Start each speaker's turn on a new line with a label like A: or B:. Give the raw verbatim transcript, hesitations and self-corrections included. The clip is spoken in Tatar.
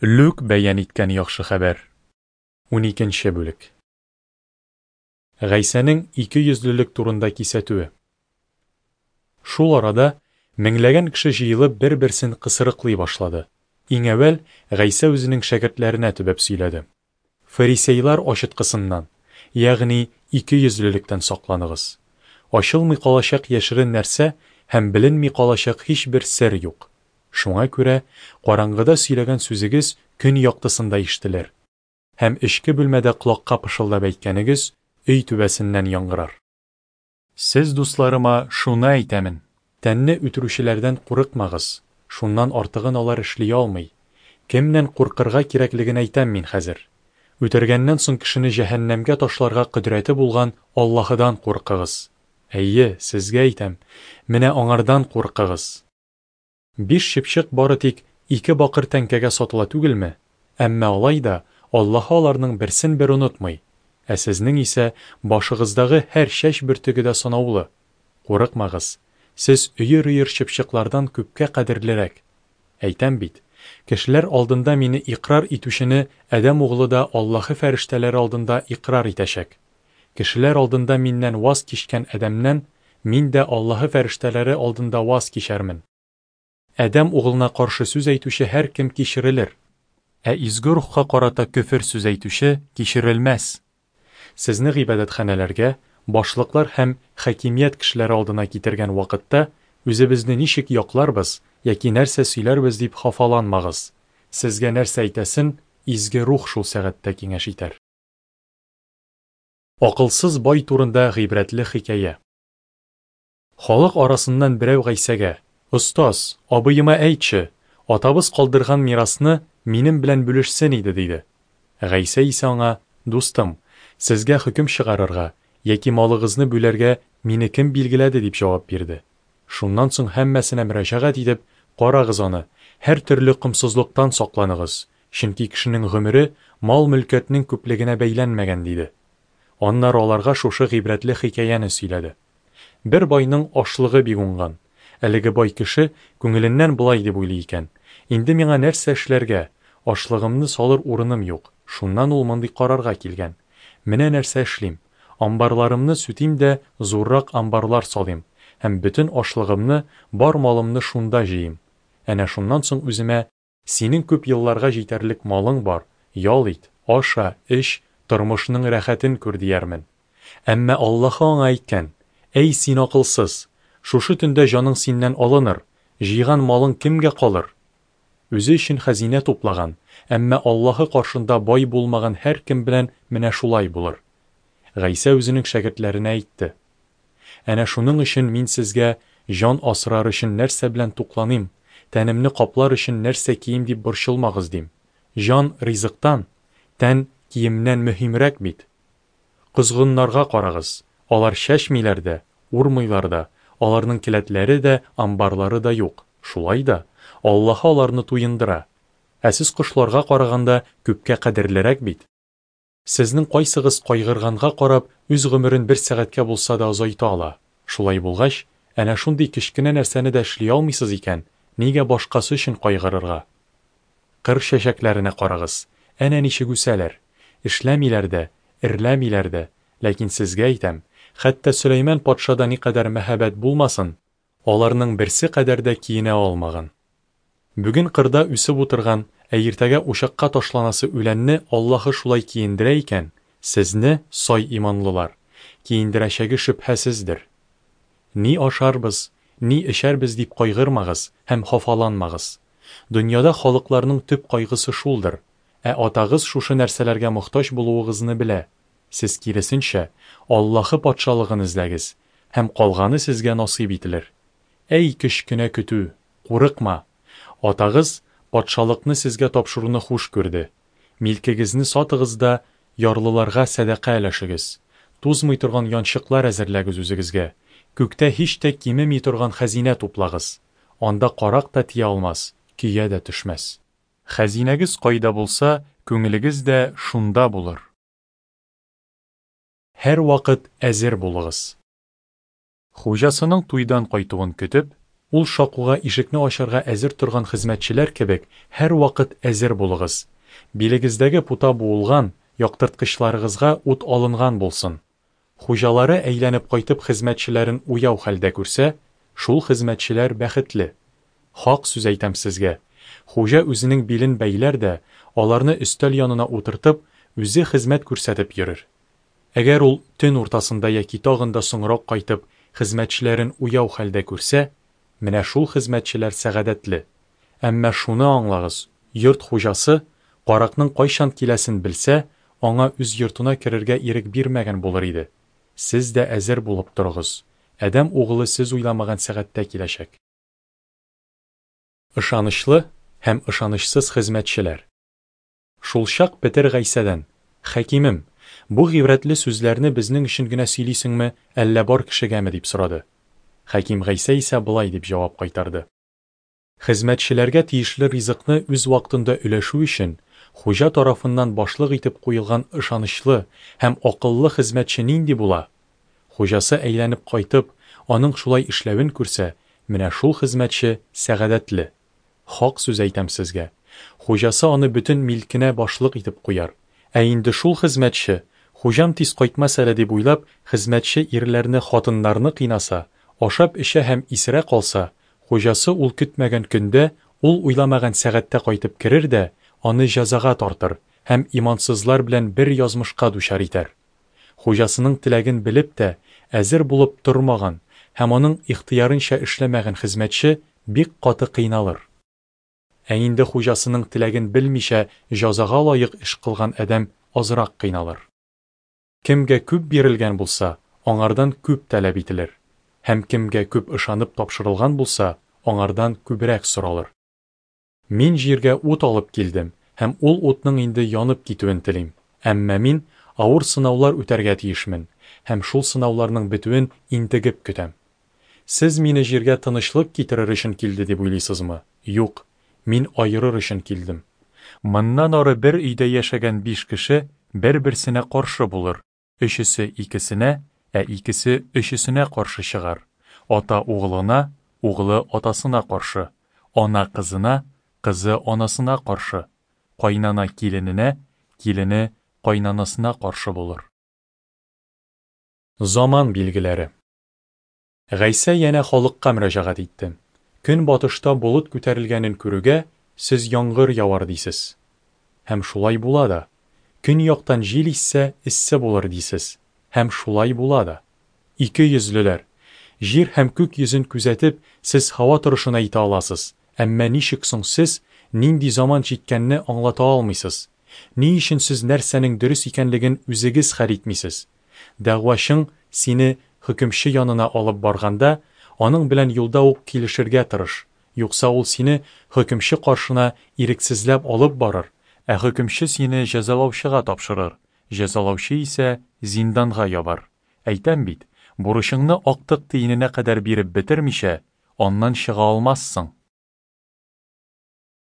A: Лүк бәян иткән яхшы хәбәр. Уникенче бүлек. Гайсәнең ике йөзлелек турында кисәтүе. Шул арада меңләгән кеше җыелып бер-берсен кысрыклый башлады. Иң әүвәл Гайсә үзенең шәкертләренә төбәп сөйләде. Фарисейлар ачыткысыннан, ягъни ике йөзлелектән сакланыгыз. Ачылмый калачак яшерен нәрсә һәм беленми калачак һичбер сер юк. Шуңа күрә караңгыда сөйләгән сүзегез көн яктысында ишетелер, һәм эчке бүлмәдә колакка пышылдап әйткәнегез өй түбәсеннән яңгырар. Сез, дусларыма, шуны әйтәмен: тәнне үтерүчеләрдән курыкмагыз, шуннан артыгын алар эшли алмый. Кемнән куркырга кирәклеген әйтәм мин хәзер. Үтергәннән соң кешене җәһәннәмгә ташларга кодрәте булган Аллаһыдан куркыгыз. Әйе, сезгә әйтәм, менә аңардан куркыгыз. Биш чыпчык бары тик ике бакыр тәңкәгә сатыла түгелме? Әмма алай да Аллаһы аларның берсен бер онытмый. Ә сезнең исә башыгыздагы һәр чәч бөртеге дә санаулы. Курыкмагыз, сез өер-өер чыпчыклардан күпкә кадерлерәк. Әйтәм бит, кешеләр алдында мине икрар итүчене Адәм углы да Аллаһы фәрештәләре алдында икрар итәчәк. Кешеләр алдында миннән ваз кичкән адәмнән мин дә Аллаһы фәрештәләре алдында ваз кичәрмен. Адәм углына каршы сүз әйтүче һәркем кичерелер, ә изге рухка карата көфер сүз әйтүче кичерелмәс. Сезне гыйбадәтханәләргә, башлыклар һәм хакимият кешеләре алдына китергән вакытта үзебезне ничек якларбыз яки нәрсә сөйләрбез дип хафаланмагыз. Сезгә нәрсә әйтәсен изге рух шул сәгатьтә киңәш итәр. Акылсыз бай турында гыйбрәтле хикәя. Халык арасыннан берәү Гайсәгә: "Остаз, абыема әйтче, атабыз калдырган мирасны минем белән бүлешсен иде", диде. Гайсә исә аңа: "Дустым, сезгә хөкем чыгарырга яки малыгызны бүләргә мине кем билгеләде?" дип җавап бирде. Шуннан соң һәммәсенә мөрәҗәгать итеп: "Карагыз аны, һәр төрле комсызлыктан сакланыгыз, чөнки кешенең гомере мал-мөлкәтнең күплегенә бәйләнмәгән", диде. Аннары аларга шушы гыйбрәтле хикәяне сөйләде. Бер байның ашлыгы бик уңган. Әлеге бай кеше күңеленнән болай дип уйлый икән: "Инде миңа нәрсә эшләргә? Ашлыгымны салыр урыным юк". Шуннан ул мондый карарга килгән: "Менә нәрсә эшлим: амбарларымны сүтим дә зуррак амбарлар салыйм һәм бөтен ашлыгымны, бар малымны шунда җыйыйм. Әнә шуннан соң үземә: синең күп елларга җитәрлек малың бар, ял ит, аша, эч, тормышның рәхәтен күр, диярмен". Әмма Аллаһы аңа әйткән: "Әй син акылсыз! Шушы төндә җаның синнән алыныр, җыйган малың кемгә калыр?" Үзе өчен хәзинә туплаган, әмма Аллаһы каршында бай булмаган һәркем белән менә шулай булыр. Гайсә үзенең шәкертләренә әйтте: "Әнә шуның өчен мин сезгә җан асрар өчен нәрсә белән тукланыйм, тәнемне каплар өчен нәрсә кием дип борчылмагыз дим. Җан ризыктан, тән киемнән мөһимрәк бит. Козгыннарга карагыз, алар чәчмиләр дә, урмыйлар да, аларның келәтләре дә, амбарлары да юк. Шулай да Аллаһы аларны туендыра. Ә сез кошларга караганда күпкә кадерлерәк бит. Сезнең кайсыгыз кайгырганга карап үз гомерен бер сәгатькә булса да озайта ала? Шулай булгач, әнә шундый кечкенә нәрсәне дә эшли алмыйсыз икән, нигә башкасы өчен кайгырырга? Кыр чәчәкләренә карагыз, әнә ничек үсәләр. Эшләмиләр дә, эрләмиләр дә, ләкин сезгә әйтәм, хәтта Сөләйман патшада никадәр мәһабәт булмасын, аларның берсе кадәр дә киенә алмаган. Бүген кырда үсеп утырган, ә иртәгә учакка ташланасы үләнне Аллаһы шулай киендерә икән, сезне, сай иманлылар, киендерәчәге шөбһәсездер. Ни ашарбыз, ни эчәрбез дип кайгырмагыз һәм хафаланмагыз. Дөньяда халыкларның төп кайгысы шулдыр, ә атагыз шушы нәрсәләргә мохтаҗ булуыгызны белә. Сез киресенчә Аллаһы патшалыгын эзләгез, һәм калганы сезгә насыйп ителер. Әй кечкенә көтү, курыкма! Атагыз патшалыкны сезгә тапшыруны хуш күрде. Милкегезне сатыгыз да ярлыларга сәдака өләшегез. Тузмый торган янчыклар әзерләгез үзегезгә. Күктә һич тә кимеми торган хәзинә туплагыз. Анда карак та тия алмас, көя дә төшмәс. Хәзинәгез кайда булса, күңелегез дә шунда булыр. Һәр вакыт әзер булыгыз. Хуҗасының туйдан кайтуын көтеп, Ул шакуга ишекне ачарга әзер торган хезмәтчеләр кебек, һәрвакыт әзер булыгыз. Билегездәге пута буылган, яктырткычларыгызга ут алынган булсын. Хуҗалары әйләнеп кайтып хезмәтчеләрен уяу хәлдә күрсә, шул хезмәтчеләр бәхетле. Хак сүз әйтәм сезгә, хуҗа үзенең билен бәйләр дә, аларны өстәл янына утыртып, үзе хезмәт күрсәтеп йөрер. Әгәр ул төн уртасында яки тагын да соңрак кайтып, хезмәтчеләрен уяу хәлдә күрсә, менә шул хезмәтчеләр сәгадәтле. Әмма шуны аңлагыз, йорт хуҗасы каракның кайчан киләсен белсә, аңа үз йортына керергә ирек бирмәгән булыр иде. Сез дә әзер булып торыгыз. Адәм угылы сез уйламаган сәгатьтә киләчәк. Ышанычлы һәм ышанычсыз хезмәтчеләр. Шулчак Петер Гайсәдән: Хәкимем, бу гыйбрәтле сүзләрне безнең өчен генә сөйлисеңме, әллә бар кешегәме, дип сорады. Хәким Гайсә исә болай дип җавап кайтарды: Хезмәтчеләргә тиешле ризыкны үз вакытында өләшү өчен хуҗа тарафыннан башлык итеп куелган ышанычлы һәм акыллы хезмәтче нинди була? Хуҗасы әйләнеп кайтып, аның шулай эшләвен күрсә, менә шул хезмәтче сәгадәтле. Хак сүз әйтәм сезгә, хуҗасы аны бөтен милкенә башлык итеп куяр. Ә инде шул хезмәтче, хуҗам тиз кайтмас әле дип уйлап, хезмәтче ирләрне, хатыннарны кыйнаса, ашап эчә һәм исерә калса, хуҗасы ул көтмәгән көндә, ул уйламаган сәгатьтә кайтып керер дә, аны җәзага тартыр һәм имансызлар белән бер язмышка дучар итәр. Хуҗасының теләген белеп тә, әзер булып тормаган һәм аның ихтыярынча эшләмәгән хезмәтче бик каты кыйналыр. Ә инде хуҗасының теләген белмичә җәзага лаек эш кылган адәм азрак кыйналыр. Кемгә күп бирелгән булса, аңардан күп таләп ителер, һәм кемгә күп ышанып тапшырылган булса, аңардан күбрәк соралыр. Мин җиргә ут алып килдем, һәм ул утның инде янып китүен телим. Әмма мин авыр сынаулар үтәргә тиешмен, һәм шул сынауларның бетүен интегеп көтәм. Сез мине җиргә тынычлык китерер өчен килде дип уйлыйсызмы? Юк, мин аерыр өчен килдем. Моннан ары бер өйдә яшәгән биш кеше бер-берсенә каршы булыр. Өчесе икесенә, ә икесе өчесенә каршы чыгар. Ата угылына, угылы атасына каршы, ана кызына, кызы анасына каршы, кайнана килененә, килене кайнанасына каршы булыр. Заман билгеләре. Гайсә янә халыкка мөрәҗәгать итте. Көнбатышта болыт күтәрелгәнен күрүгә, сез яңгыр явар дисез. Һәм шулай була да. Көньяктан җил иссә, эссе булыр дисез. Һәм шулай була да. Ике йөзлеләр. Җир һәм күк йөзен күзәтеп, сез һава торышын әйтә аласыз. Әмма ничек соң сез нинди заман җиткәнне аңлата алмыйсыз? Ни өчен сез нәрсәнең дөрес икәнлеген үзегез хәл итмисез? Дәгъвачың сине хөкемче янына алып барганда, аның белән юлда ук килешергә тырыш. Юкса ул сине хөкемче каршына ирексезләп алып барыр, ә хөкемче сине җәзалаучыга тапшырыр, җәзалаучы исә зинданга ябар. Әйтәм бит, бурычыңны актык тиененә кадәр биреп бетермичә, аннан чыга алмассың.